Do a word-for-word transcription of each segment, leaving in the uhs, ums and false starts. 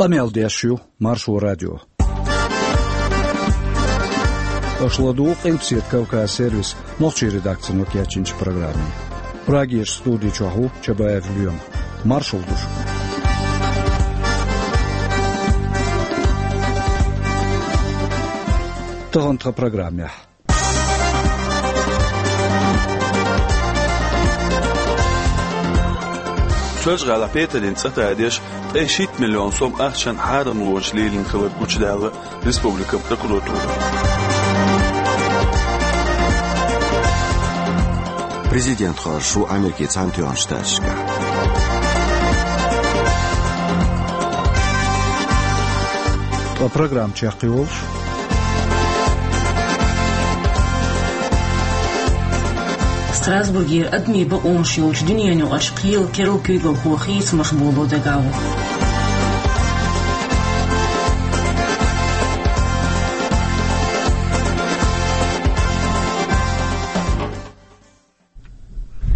Къамел деш ю Маршо радио. Аша ладугӀу Къилбаседа Кавказ сервисан нохчийн редакцино кечйинчу программе. Прагерчу студи чохь ву Чабаев Лоьма. Маршалла ду шуьга. Тахана тхан программехь. Соьлжа-ГӀалахь петарийн цӀа тадеш, ткъе шийтта миллион сом ахчанна хьарамлонаш лелийна хилар гучудаьлла республикан прокуратура. Президент хоржуш ву Америкин Цхьаьнатоьхначу Штаташкахь. Ткъа программа чекхйолуш. Страсбургера адамийн бакъонаш йолчу дуьненаюкъарчу кхелан керла куьйгалхо хийцамаш боло дагахь ву.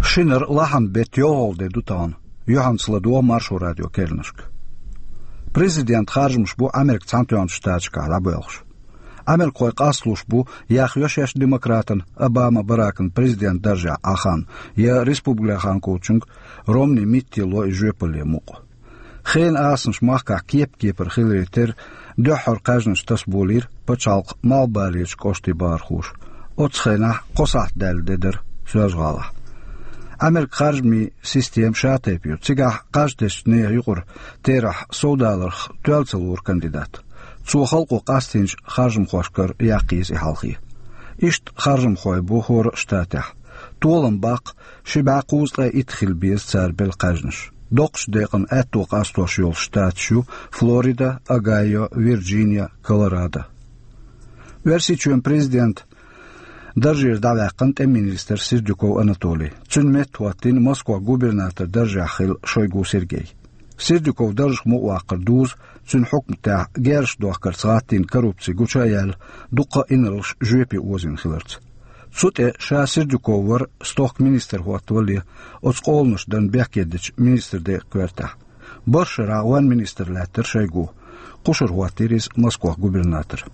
Шинара лахьанан беттан йолхалгӀа де ду тахана. Юьхьанца ладогӀа Маршо радион керланашка. Президентан харжамаш бу Америкин Цхьаьнатоьхначу Штаташкахь дӀабоьлхуш. Америкахой къасталуш бу, яхйо шаьш демократан Обама Баракан президентан даржехь Ӏан хан, я республиканхочуьнга Ромни Митте ло и жоьпалле мукъ. Хенан асанаш махкахь кеп-кепара хиларе терра, дуьххьара кхаьжнаш тасаболийра пачхьалкхан малхбалерчу кӀоштийн бахархоша. Оццу хенахь кхо сахьт даьлла де дара Соьлжа-ГӀалахь. Америкин харжамийн система шатайпа ю. Цигахь кхаж тесначу нехан юкъара терахь совдаларх тоьлла ца лору кандидат. Цо халкъо къастийначу харжамхошкара яккха еза и хьалхе. Иштта харжамхой бу хӀора а штатехь. Толам баккха, ши бӀе кхузткъе итт хила беза цара белла кхаьжнаш. Доккхачу декъана аьтто къастош йолу штаташ ю Флорида, Огайо, Вирджиния, Колорадо. Оьрсийчоьнан президентан даржера дӀаваьккхина тӀеман министр Сердюков Анатолий. Цуьнан метта хӀоттийна Москох губернатор даржехь хилла Шойгу Сергей. Сердюков даржах мукъаваккхар дузу, цуьнан хьукматехь герзаш дохкарца гӀаттийна коррупци гучу а яьлла, дуккха а инарлаш жоьпе озийна хиларца. Цу тӀе ша Сердюков вара, стохка министр хӀоттавале, оцу къоланаш дан бехке дечу министран декъан коьртехь. БархӀ шарахь ван министр лаьттара Шойгу. Кхушара хӀоттийра иза Москох губернатор.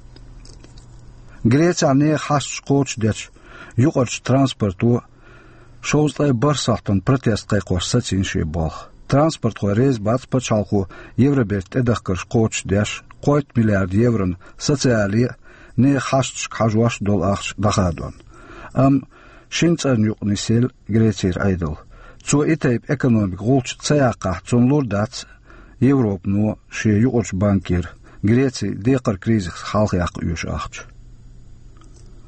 Грецехь нехан хьашташ кхочушдечу юкъарчу транспорто шовзткъе бархӀ сахьтана протест кхайкхош сацийна шен болх. Транспортхой реза бац пачхьалкхо Евробертан тӀедахкарш кхочушдеш, кхойтта миллиард еврона социале а, нехан хьашташка хьажош а долу ахча дӀахадон. Амма шина цӀарна юкъа нисъелла Грецера Ӏедал. Цо и тайпа экономикан гӀулч ца яккхахь, цунна лур дац Европано шен юкъарчу банкера Грецин декхаран кризисах хьалхаяккха оьшу ахча.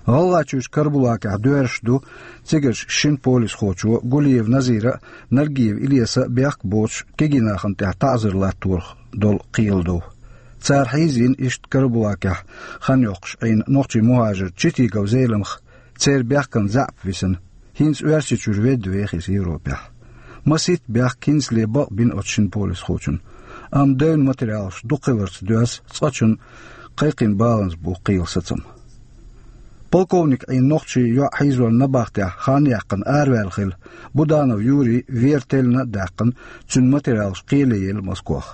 ГӀалгӀайчуьрчу Карабулакехь доьрзуш ду цигарчу шина полисхочо Гулиев Назира а, Наргиев Илеса а бехк а боцуш, кегийнахана тӀехь таӀзар латторах долу кхелан дов. Цара хьийзийна иштта Карабулакехь хан йоккхуш Ӏийна нохчийн мухӀажар Читигов Зеламха, церан бехкан заьӀап висина. ХӀинца Оьрсийчуьра ведда веха иза Европехь. Масийтта бехк, хӀинцале бакъ бина оцу шина полисхочунна. Амма девнан материалаш дукха хиларца доьзна, цкъачунна кхайкхийна баланза бу кхелан сацам. Полковник Ӏийна нохчийн йоӀ хьийзорна набахтехь хан яьккхина араваьлла хилла Буданов Юрий вер теллина а даьккхина, цуьнан материалаш кхеле елла Москох.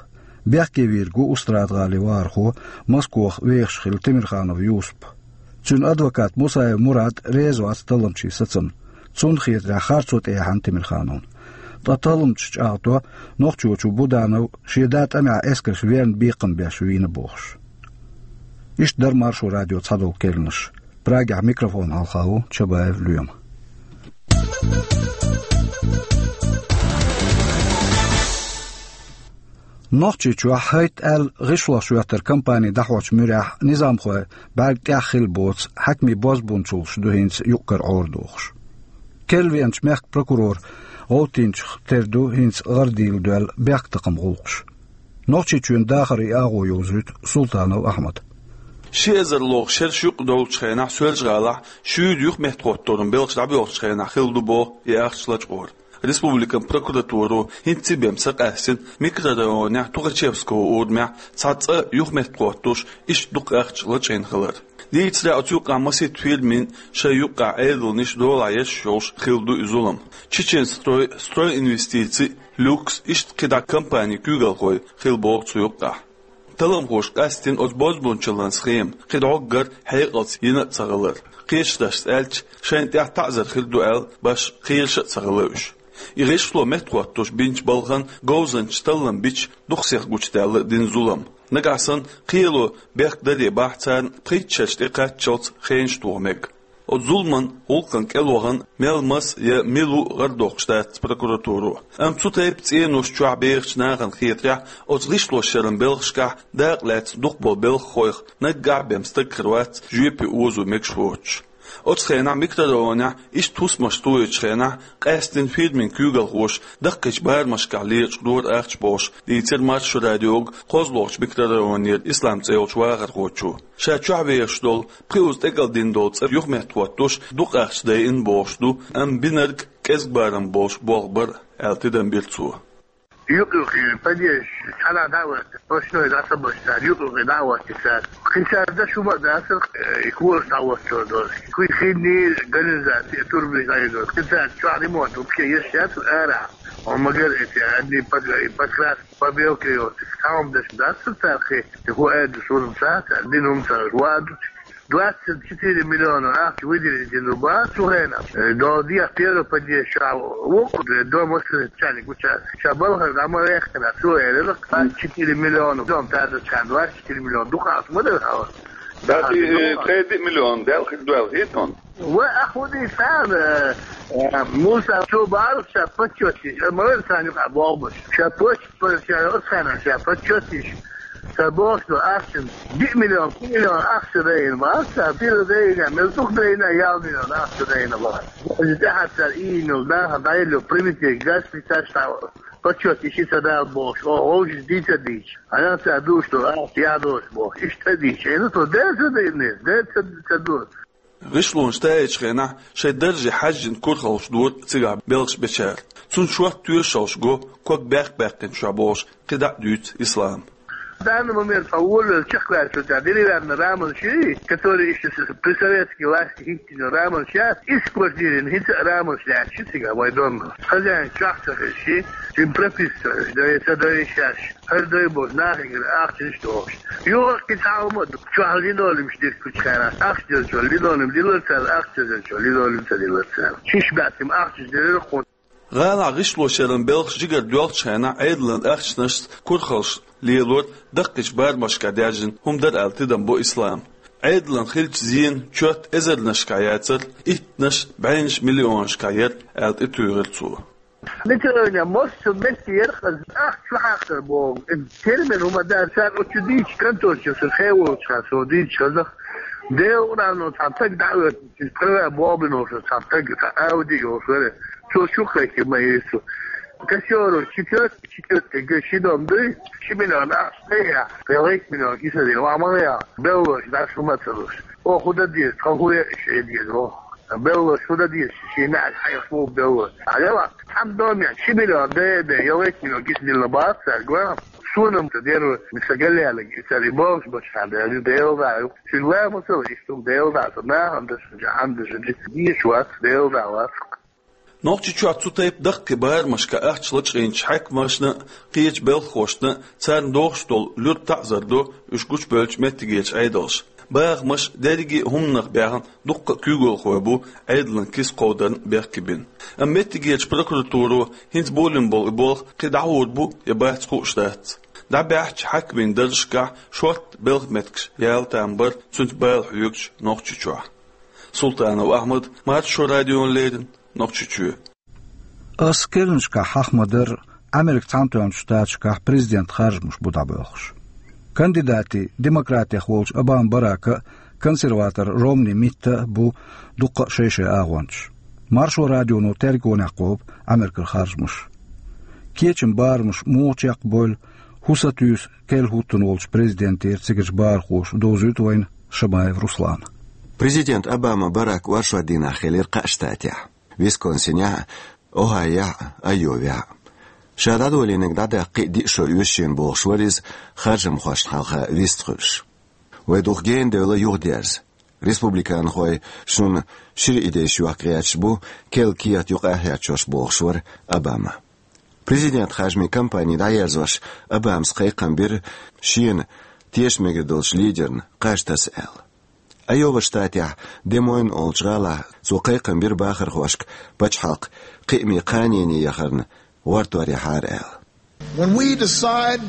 Бехке вийр ву Устрада-ГӀалин вахархо, Москох вехаш хилла Темирханов Юсуп. Цуьнан адвокат Мусаев Мурад реза вац талламчийн сацамна. Цунна хетарехь, харцо тӀеяьхьна Темирхановна. Ткъа талламчаша чӀагӀдо, нохчочо Буданов шен да тӀамехь эскарша верна бекхам беш вийна бохуш. Иштта дара Маршо радион цхьадолу керланаш. Прагехь микрофон хьалха ву Чабаев Лоьма. Нохчийчохь хӀайт-аьлла гӀишлош йоьттар компани дӀахьочу муьрехь низамхой бӀаьрг тӀехь хилла боцу хьаькамийн бозбунчаллаш ду хӀинца юкъ-кара Ӏорадохуш. Керлавеанчу мехкан прокуроран гӀовттинчух тера ду хӀинца гӀара дийла доьлла бехктакхаман гӀуллакхаш. Нохчийчоьнан дахаран агӀо йовзуьйту Султанов Ахьмада. Ши эзар лоху шераш юкъа долчу хенахь Соьлжа-ГӀалахь шуьйра юхаметтахӀотторан белхаш дӀабоьлхучу хенахь хилла ду боху и ахча лачкъор. Республикан прокуратуро хӀинцца бен са къаьстина микрорайонехь Тухачевского урамехь цхьа цӀа юхаметтахӀоттош иштта дукха ахча лачкъийна хилар. Дийцаре оцу юкъахь масийтта фирмийн шайн юккъехь Ӏедалнаш долахь еш йолуш хилла ду и зулам. Чеченстрой, Стройинвестиций, Люкс, иштта кхидӀа компанийн куьйгалхой хилла боху цу юккъехь. Талламхоша къаьстина оцу бозбуунчаллин схема кхин дӀоггара хьекъалца йина а ца хилар. Кхечу дашца аьлча, шайна тӀехь таӀзар хир ду аьлла, башха кхераш а ца хилла уьш. И гӀишло меттахӀоттош бинчу балхана говзанчаша таллам бича дукха сиха гучудаьлла дина зулам. Нагахь санна кхело бехк даре бахьа царна пхийтта шераш тӀекхаччалц хенаш тоха мега. Оцу зуламан гӀуллакхана кӀелвахана мел маса я мила ву гӀардоккхуш дац прокуратуро. Амма цу тайпа цӀенош чохь бехачу нахана хетарехь, оцу гӀишлошъяран белхашкахь дакъа лаьцна дукхахболу белхахойх наггахь а бен стаг хир вац жоьпе озо мегаш воцуш. Оцу хенахь микрорайонехь иштта хӀусамаш тухучу хенахь къаьстина фирмин куьйгалхоша даккхийчу барамашкахь лечкъадора ахча бохуш, дийцира Маршо радиога кхозлагӀчу микрорайонера Ислам цӀе йолчу вахархочо. Ша чохь вехаш долу, пхиузза тӀекӀалдина долу цӀа юхаметтахӀоттош дукха ахча дайина бохуш ду, амма бинарг кӀезиг барам болуш болх бара, аьлла тидам бира цо. Юкъ-юкъе подъезд цхьана дӀа а ваьлла, пошной дӀасабаьлла цара, юкъ-юкъе дӀа а воьттира цара. Кхин цара даш хӀума а дацара, э, и кораш дӀа а воьттур долу. Кхин хинний канализаци, турбанаш дӀа а йоьдура. Кхин цара чохь ремонт, вообще, еш яц ара. Он магар эти, одни под-, и подкрас, побелки, вот, цхьа хӀума деш дацара цара кхин. И хӀун эр ду суна ца, цара дина хӀума ца, ваьа ду. Двадцать четыре миллиона ахча выделить дина бу цу хенахь. Э, до дехьа первый подъезд ша вукху, э, дом воспитания гуча. Ша балхара дӀа ма вехкина, цо элира, двадцать четыре миллиона дом тардачхьана, двадцать четыре миллиона дукха ма дара хьала. Да, а, ти, э, дукха. Кхеди миллион дел хир дуьлхий тон. Ва, а худи сан, э, э, Муса, цо бара ша почёт, э, ма вер сан юкъа богӀуш. Ша почёт, ша оцхьана, ша почёт. Ша бохуш ду ахча, диъ миллион, пхи миллион ахча дайна бац, ша пила дайна, мел дукха дайна, ял миллион ахча дайна бац. Даже тӀаьхьа цара иймил даха дайла, примите, газ питаш та, почёт иши ца дал бохуш, о, ховши дийца дийч. Ана ца душ ду, ахча ядош бохуш, иштта дийч. Эна то дер ца дайна, дер ца, ца ду. ГӀишлонаш таьӀачу хенахь шайн дарже хьаьжжина курхалш дора цигахь белхаш бечара. Цунна шорта тоьшалш го, ког баьккх-баьккхинчохь бохуш, кхидӀа а дуьйцу Ислам. В данный момент по воле чехварчу, да, деревянный рамочный, который ещё с-, при советской власти хиттина рамочный, из квартиры, хица рамочный, чисига вай дом. Хозяин чахца хиши, им прописываешь, да, это да и сейчас. ХӀара дай боху нахе гира ахча иштта дохуш. Юха кхин цхьа хӀума ду. Чохь линолеумаш диркучхьара. Ахча делчо линолеум дилар цара, ахча делчо линолеум ца дилар цара. Шиш баьттим ахча делира кху. ГӀалахь гӀишлошъяран белхаш жигара доьлхучу хенахь Ӏедалан ахчанашца курхалш лелор даккхийчу барамашкахь даьржина хӀума дара аьлла тидам бо Ислам. Ӏедалан хиллачу зенан чот эзарнашкахь яцара, иттанаш, бӀеннаш миллионашкахь яра аьлла тӀетуьйхира цо. Миталойна мосту метте яркъаза ахча хьакхар боху. Термин хӀума дар цара оцу дийчу конторчуьра со хеволчу хан со дийчу хазах. Делан урамно цхьа таг дӀаоьцу, права бобино со цхьа таг, цхьа Ауди йолуш вара. Цо чу кхайкхи ма Ису. Кассёру четвёртый, четвёртый га ши дом дуй, ши миллион ахча тӀе яхь, кхин вайх миллион киса дина, ва ма яхь, беллош, даш хӀума ца луш. О, худа деза, тхан хуя иш эдгеза, о. Белло, шуда дийш, ши меӀ хьайх бу белло. Хьалева, цхьамма доме, ши миллион дае, дае, ялгайтина гис дилла бац, цаьрга. Сонам ца деру, миса галлялаг, и цаьрга бохуш бачхьан, деру, Дела да, ю. Шин ва масала, иштум Дела да, со нахам даш, жахам даш, диш вац, Дела да вац. Нохчийчохь цу тайпа даккхий барамашка ахча лачкъийначу хьаькамашна а, кхечу белхахошна а, царна дохуш долу луьра таӀзар до уьш гучубевллачу меттигерчу Ӏедалша. Бахамаш дерриге а хӀуманах баьхна дуккха а куьйгалхой бу Ӏедалан киса кховдарна бехке бина. Амма меттигерчу прокуратуро хӀинца болийна болу и болх кхин дӀахьур бу я бац хууш дац. ДӀабаьхьачу хьаькамийн даржашкахь шортта белхан меттигаш яла там бара цуьнца бала хьоьгуш Нохчийчохь. Султанов Ахьмад, Маршо радиона леррина, Нохчийчоь. Ас керланашкахь хьаха ма-дарра, Американ Цхьаьнатоьхначу Штаташкахь президентан харжамаш бу дӀабоьлхуш. Кандидатийн, демократех волчу Обама Барака а, консерватор Ромни Митта а бу дуккха а шай-шай агӀончаш. Маршо радионо тергонехь кхобу Америкера харжамаш. Кечам барамаш муха чекхбойла, хӀун сатуьйсу керла хӀуттун волчу президентера цигарчу бахархоша, довзуьйту вайна Шамаев Руслана. Президент Обама Барак оршот дийнахь хилира кхаа штатехь. Висконсинехь а, Охайохь а, Айовехь а. Ша дӀадолийнарг дӀадаккха кхин а диъ шо оьшу шена бохуш вара иза, харжамхошна хьалха вистхуьлуш. Вай дукха гена девлла юхадерза. Республиканхой шуна шира идейш йохка гӀерташ бу, керла кехат юкъа а хьерчош бохуш вара Обама. Президент харжамийн кампани дӀаерзош Обамас кхайкхам бира шена теша мегар долчу лидерна кхаж таса аьлла. Айова штатехь Де-Мойн олучу гӀалахь цо кхайкхам бира бахархошка пачхьалкх кхиаме кханене яхарна гӀортор яхьара аьлла. When we decide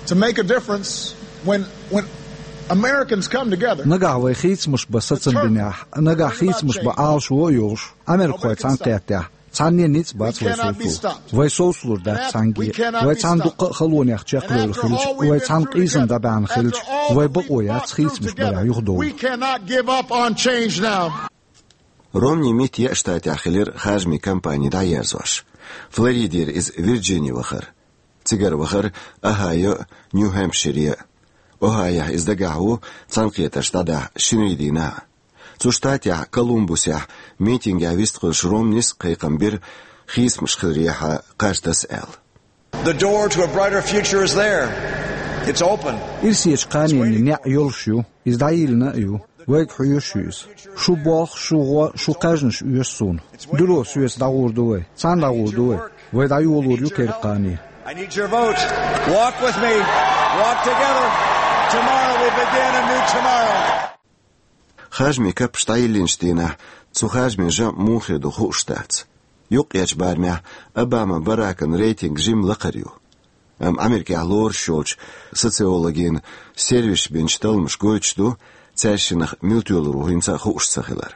to make a difference, when, when Americans come together, Нагахь вай хийцамаш бан сацам бинехь, нагахь хийцамаш бан Ӏалашо а йолуш, америкахой цхьаьна кхеттехь, цхьанне ницкъ бац вай совцо. Вай совцалур дац цхьаьнгге. Вай цхьаьна дуккха а халонех чекхвевлла хилча, вай цхьаьна къийсам дӀабаьхьна хилча, вай бакъо яц хийцамаш барехь юхадовла. We cannot give up on change now. Ромни Митт еа штатехь хилира харжамийн кампани дӀаерзош. Флоридера иза Вирджини вахара. Цигара вахара Охьайо а, Нью-Хэмпшире а. Охьайохь иза дагахь ву цхьаьнакхетарш дӀадахьа шинарин дийнахь а. Цу штатехь Колумбусехь митингехь вистхуьлуш Ромнис кхайкхам бира, хийцамаш хиларехьа кхаж таса аьлла. The door to a brighter future is there. It's open. Ирсечу кханенна неӀ йолуш ю, иза дӀайиллина а ю. Вайга хьоьжуш ю иза. Шу болх, шу гӀо, шу кхаьжнаш оьшу суна. Дуьро соьца дӀагӀур ду вай. Цхьаьна дӀагӀур ду вай. Вай дӀайолор ю керла кхане. I need your vote. Walk with me. Walk together. Tomorrow we begin a new tomorrow. Харжамийн каппаш дӀайиллинчу дийнахь цу харжамийн жамӀ муха хир ду хууш дац. Юккъерчу барамехь Обама Баракан рейтинг жимма лакхара ю. Амма Америкехь лоруш йолчу социологийн сервисаша бинчу талламаша гойтуш ду, цаьршиннах мила тоьлур ву хӀинца а хууш ца хилар.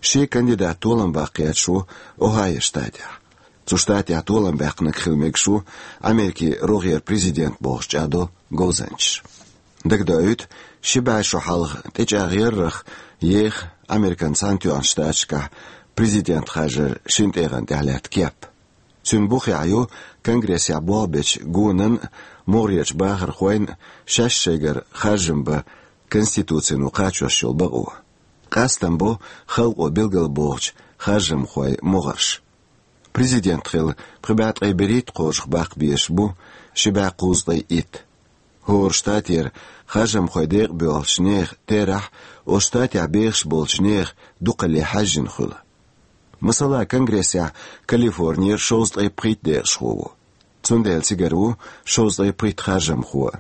Ши кандидат толам баккха гӀерташ ву Охьайо штатехь. Цу штатехь толам баьккхинарг хила мегаш ву Америкин рогӀера президент бохуш чӀагӀдо говзанчаша. Дагадоуьйту, ши бӀе шо хьалха тӀечӀагӀъяррах еха Американ Цхьаьнатоьхначу Штаташкахь президент харжаран шина тӀегӀан тӀехь лаьтта кеп. Цуьнан бухехь ю Конгрессехь болх бечу гонан а, могӀарерчу бахархойн а шаьш шайгара харжам бан Конституцино кхачош йолу бакъо. Къастам бо халкъо билгалбохучу харжамхойн могӀарш. Президент хила пхи бӀе ткъе берхӀитта кхажах баккха безаш бу ши бӀе кхузткъе итт. ХӀора штатера харжамхойн декъа боьлхучу нехан терахь оцу штатехь бехаш болчу нехан дукхалле хьаьжжина хуьлу. Масала, Конгрессехь Калифорнера шовзткъе пхийтта декъашхо ву. Цундела цигара ву шовзткъе пхийтта харжамхо.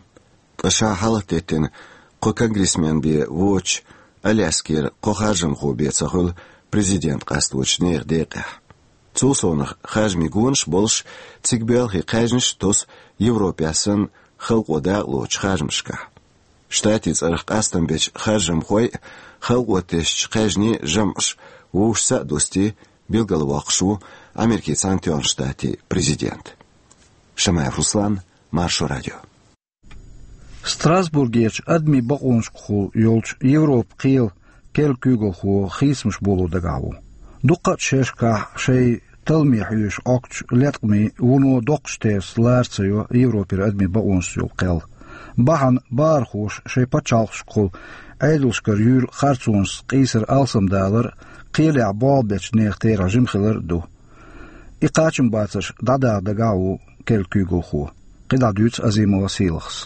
Ткъа ша хьалхатеттина кхо конгрессмен бен воцучу Аляскера кхо харжамхо бен ца хуьлу президент къасточу нехан декъехь. Цул совнаха харжамийн гонаш а болуш, цига боьлхий кхаьжнаш а тосу Европехь санна халкъо дакъалоцучу харжамашкахь. Штатийн цӀарах къастам бечу харжамхойн а, халкъо тесначу кхаьжнийн а жамӀаш вовшашца а дустий, билгалвоккхуш ву Америкин Цхьаьнатоьхначу Штатийн президент. Шамаев Руслан, Маршо радио. Страсбургерчу адамийн бакъонашкахула йолчу Европан кхелан керла куьйгалхо хийцамаш боло дагахь ву. Дуккха а шерашкахь шайн талламе хьоьжуш Ӏохкучу леткъамийн вуно доккхачу терца лара ца йо Европера адамийн бакъонашца йолу кхел. Бахьана бахархоша шайн пачхьалкхашкахула Ӏедалшкара юьйр харцонашца къийсар алсамдалар а, кхелехь болх бечу нехан терахь жима хилар а ду. И кхачамбацарш дӀадаха дагахь а ву керла куьйгалхо. КхидӀа дуьйцу Азимова Сийлахьас.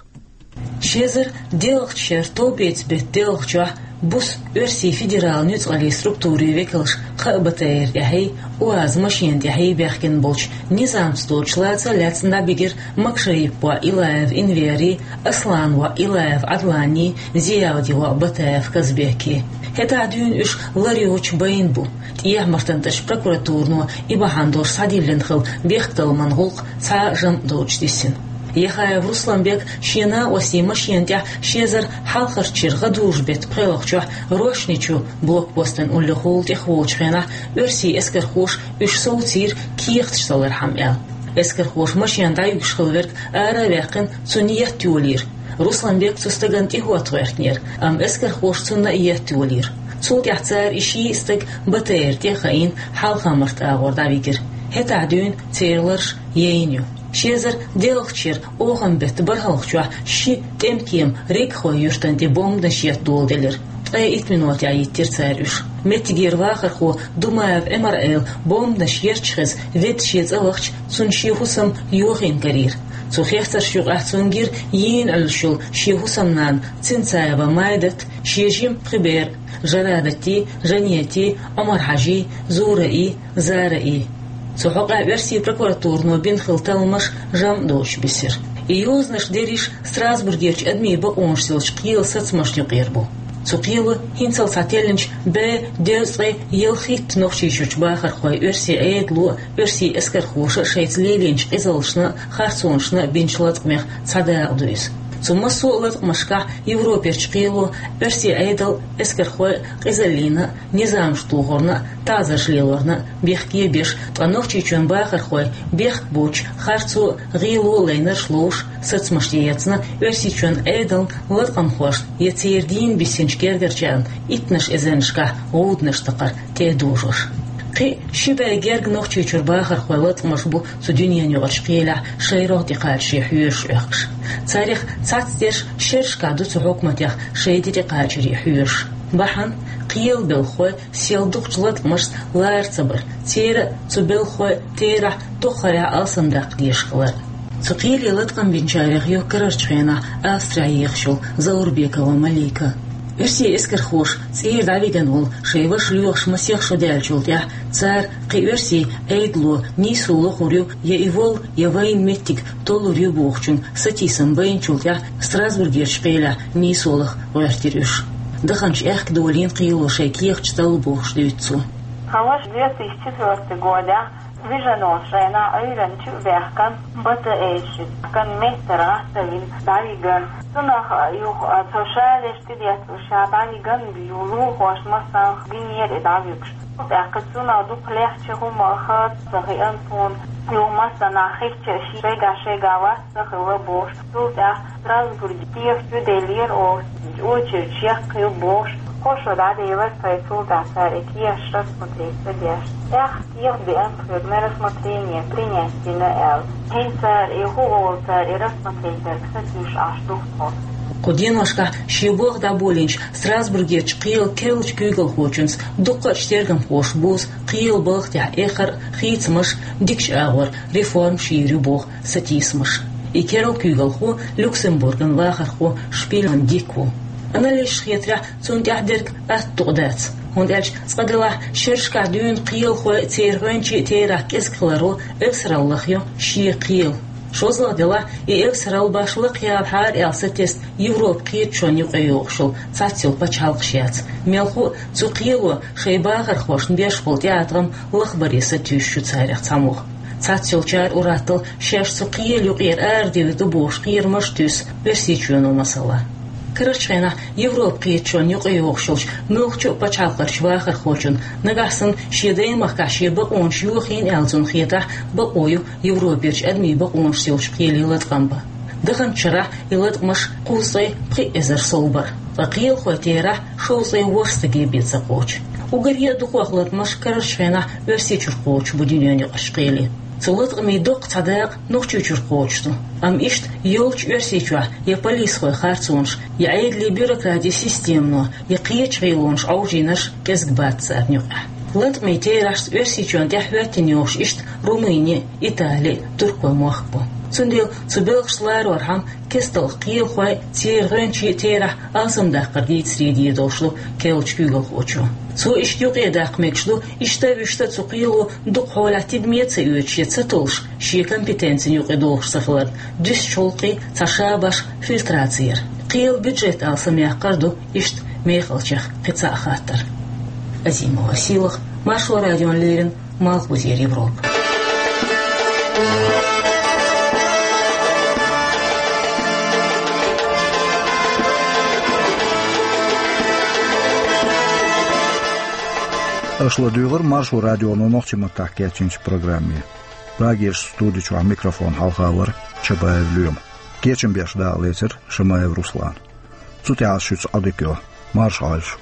Ши эзар доьалгӀачу шеран товбеца беттан доьалгӀачохь буса оьрсийн федералан нуьцкъаллийн структурийн векалш кхаа БТР тӀехьий, УАЗ машена тӀехьий баьхкина болчу низамца доцучу лаца лаьцна дӀабигира Макшариповн воӀ Илаев Энвери, Асланан воӀ Илаев Ӏадлани, Зиявдин воӀ Батаев Казбеки. ХӀетахь дуьйна уьш лар йоцуш байна бу. ТӀехьа-МартантӀерачу прокуратуро и бахьана долуш схьадиллина хилла бехктакхаман гӀуллакх цхьа а жамӀ доцуш диссина. Яхаев Русланбек шен накъостийн машена тӀехь ши эзар хьалхарчу шеран гӀадужу беттан пхоьалгӀачохь Рошни-Чу блокпостан уллехула тӀехволучу хенахь оьрсийн эскархоша уьш совцийра кехаташ салархьама аьлла. Эскархоша машена дӀаюьгуш хилла верг ара а ваьккхина, цунна етта йолийра. Русланбек цу стагана тӀехӀотта гӀоьртинера, амма эскархоша цунна а етта йолийра. Цул тӀаьхьа цара и ший а стаг БТР тӀе а хаийна, Хьалха-Март агӀор дӀавигира. ХӀетахь дуьйна церан ларш яйна ю. Ши эзар доьалгӀачу шеран оханан беттан бархӀалгӀачохь ши тӀемкема Регхой юьртана тӀе бомбанаш етта доладелира. Ткъе итт минотехь йиттира цара уьш. Меттигера вахархо Думаев Ӏимар-Ӏела бомбанаш етташ хеза ведда шен цӀа вахча, цунна шен хӀусам йохийна карийра. Цу хецаршна юкъахь цунна гира йийна Ӏуьллуш йолу шен хӀусамнана Цинцаева Майдат, шен жима пхи бер а: Жарадатий, Жанетий, Ӏумар-Хьажий, Зураий, Зараий. Цу хьокъехь оьрсийн прокуратуро бина хилла талламаш жамӀ доцуш бисира. И йозанаш дерриш Страсбургерчу адамийн бакъонаш йолчу кхелан сацамашна юкъера бу. Цу кхело хӀинццалц схьателлинчу бӀе дезткъе ялхитта Нохчийчуьрчу бахархойн оьрсийн Ӏедало а, оьрсийн эскархоша а шайца лелийначу къизаллашна а, харцонашна а бинчу латкъамех цхьа дакъа ду иза. Цу массо а латкъамашкахь Европерчу кхело оьрсийн Ӏедал а, эскархой а къизаллина а, низамаш тухарна а, таӀзарш лелорна а бехке а беш, ткъа Нохчийчоьнан бахархой бехк боцуш, харцо а, гӀело а лайнарш а ловш, сацамаш тӀеэцна Оьрсийчоьнан Ӏедална, латкъамхошна я церан дийна бисинчу гергарчарна иттаннаш эзарнашкахь гӀуданаш такхар тӀедожош. Кхин а ши бӀе герга Нохчийчуьра бахархойн латкъамаш бу цу дуьненаюкъарчу кхелехь шайн рогӀ тӀекхачаре хьоьжуш Ӏохкуш. Царех цхьацца дерш шерашкахь ду цу хьукматех шайн де тӀекхачаре хьоьжуш. Бахьана кхелан белхахой сел дукхачу латкъамашца лара ца бар, церан а, цу белхахойн а терахь дукхахьолахь алсамдаккха дезаш хилар. Цу кхеле латкъам бинчарех ю карарчу хенахь Австрехь ехаш йолу Заурбекова Малика. Оьрсийн эскархоша цӀера дӀавигна волу шайн ваша лоьхуш масех шо даьллачул тӀаьхьа цара кхин оьрсийн Ӏедало нийсо лохур ю, я и волу, я вайна меттиг толлур ю бохучун сатийсам байначул тӀаьхьа Страсбургерчу кхелехь нийсолах гӀоьртира уьш. Даханчу аьхка долийна кхело шайн кехаташ талла бохуш дуьйцу цо. Тхан ваша две тысячи четвёртый годехь вижина волчу хенахь Ӏуьйранна чу а баьхкина, бата эшши кан меттара гӀаттавина дӀавигна. Цунах юха цо шареш тӀедетталуш ша дӀавигна, лулахошна массанхьа гинера и дӀавуьгуш. ТӀаккха цунах дукха лехча хӀума хаа ца хиъна тхуна. Юха массанхьа хиъча а шайга-шайга вац ца хилла бохуш. Цул тӀаьхьа Страсбурге кехат чу деллера оха, очередь чекхйо бохуш. Кхо шо дӀаделира тхайн, цул тӀаьхьа цара и кехаташ рассмотреть ца деш. ТӀаккха кехат деана тхоьга на рассмотрение принять дина аьлла. ХӀинца цара и хӀун олу, цара и рассмотреть дерг сатуьйсуш Ӏаш ду-кх тхо. Кху деношкахь шен болх дӀаболийначу Страсбургерчу кхелан керлачу куьйгалхочуьнца дуккха а тергамхоша бузу кхелан балха тӀехь эххар а, хийцамаш а, дикачу агӀор реформаш йийр ю боху сатийсамаш. И керла куьйгалхо Люксембурган вахархо Шпильман Дик ву. Анализаша хетарехь, цунна тӀехь дерг атта дукъ дац, хӀунда аьлча цкъа делахь шерашкахь дуьйна кхелахой а, церан гӀоьнчийн а терахь кӀезиг хиларо эвсаралла лахйо шен кхел. ШозлагӀа делахь, и эвсаралла башха лакхаяла хьара аьлла сатесна Европан кхеташонна юкъайогӀуш йолу цхьацца йолу пачхьалкхаш яц. Мелхо а цу кхело шайн бахархошна беш болу тӀеӀаткъам лахбаре сатуьйсуш ю царех цхьаммо. Цхьацца йолчара ур-атталла шаьш цу кхелан юкъера арадевр ду бохуш кхерамаш а туьйсу Оьрсийчоьно, масала. Карарчу хенахь Европан кхеташонна юкъайогӀуш йолчу муьлххачу а пачхьалкхерчу вахархочунна, нагахь санна шен даймахкахь шен бакъонаш йохийна аьлла цунна хетахь, бакъо ю Европерчу адамийн бакъонаш йолчу кхеле латкъам бан. Даханчу шарахь и латкъамаш кхузткъе пхи эзар сов бара, ткъа кхелахойн терахь шовзткъе ворхӀ стаге бен ца кхочу. Уггаре а дукхох латкъамаш карарчу хенахь Оьрсийчуьра кхочуш бу дуьненаюкъарчу кхеле. Цу латкъамийн доккха цхьа дакъа Нохчийчуьра кхочуш ду. Амма иштта йолчу Оьрсийчохь я полисхойн харцонаш, я Ӏедалан бюрократин системано, я кхечу гӀелонаш Ӏовжийнарш кӀезиг бац царна юкъахь. Латкъамийн терахьашца Оьрсийчоьнна тӀехь хӀоьттина йогӀуш иштта Румыни, Итали, Туркойн мохк бу. Цундела цу белхашца ларорхьама кестта кхелахой а, церан гӀоьнчийн а терахь алсамдаккхар дийцаре дийр долуш ду керлачу куьйгалхочо. Цо иштта юкъадаккха мегаш ду, иштта а, вуьшта а цу кхело дукха хьолехь тидаме а ца оьцуш я ца толлуш, шен компетенцина юкъа догӀуш ца хиларна, дуьсучу гӀуллакхийн цхьа ша-башха фильтраци яр. Кхелан бюджет алсамъяккхар ду иштта мехалчех кхин цхьа а хаттар. Азимова Сийлаха, Маршо радиона леррина, Малхбузера Европа. Аша ладуьйгӀира Маршо радионо нохчийн маттахь кечйинчу программе. Прагерчу студи чохь микрофон хьалха вара Чабаев Лоьма. Кечам беш дакъалецира Шамаев Руслана. Цу тӀехь ас шуьца Ӏодика йо. Марша Ӏойла шу.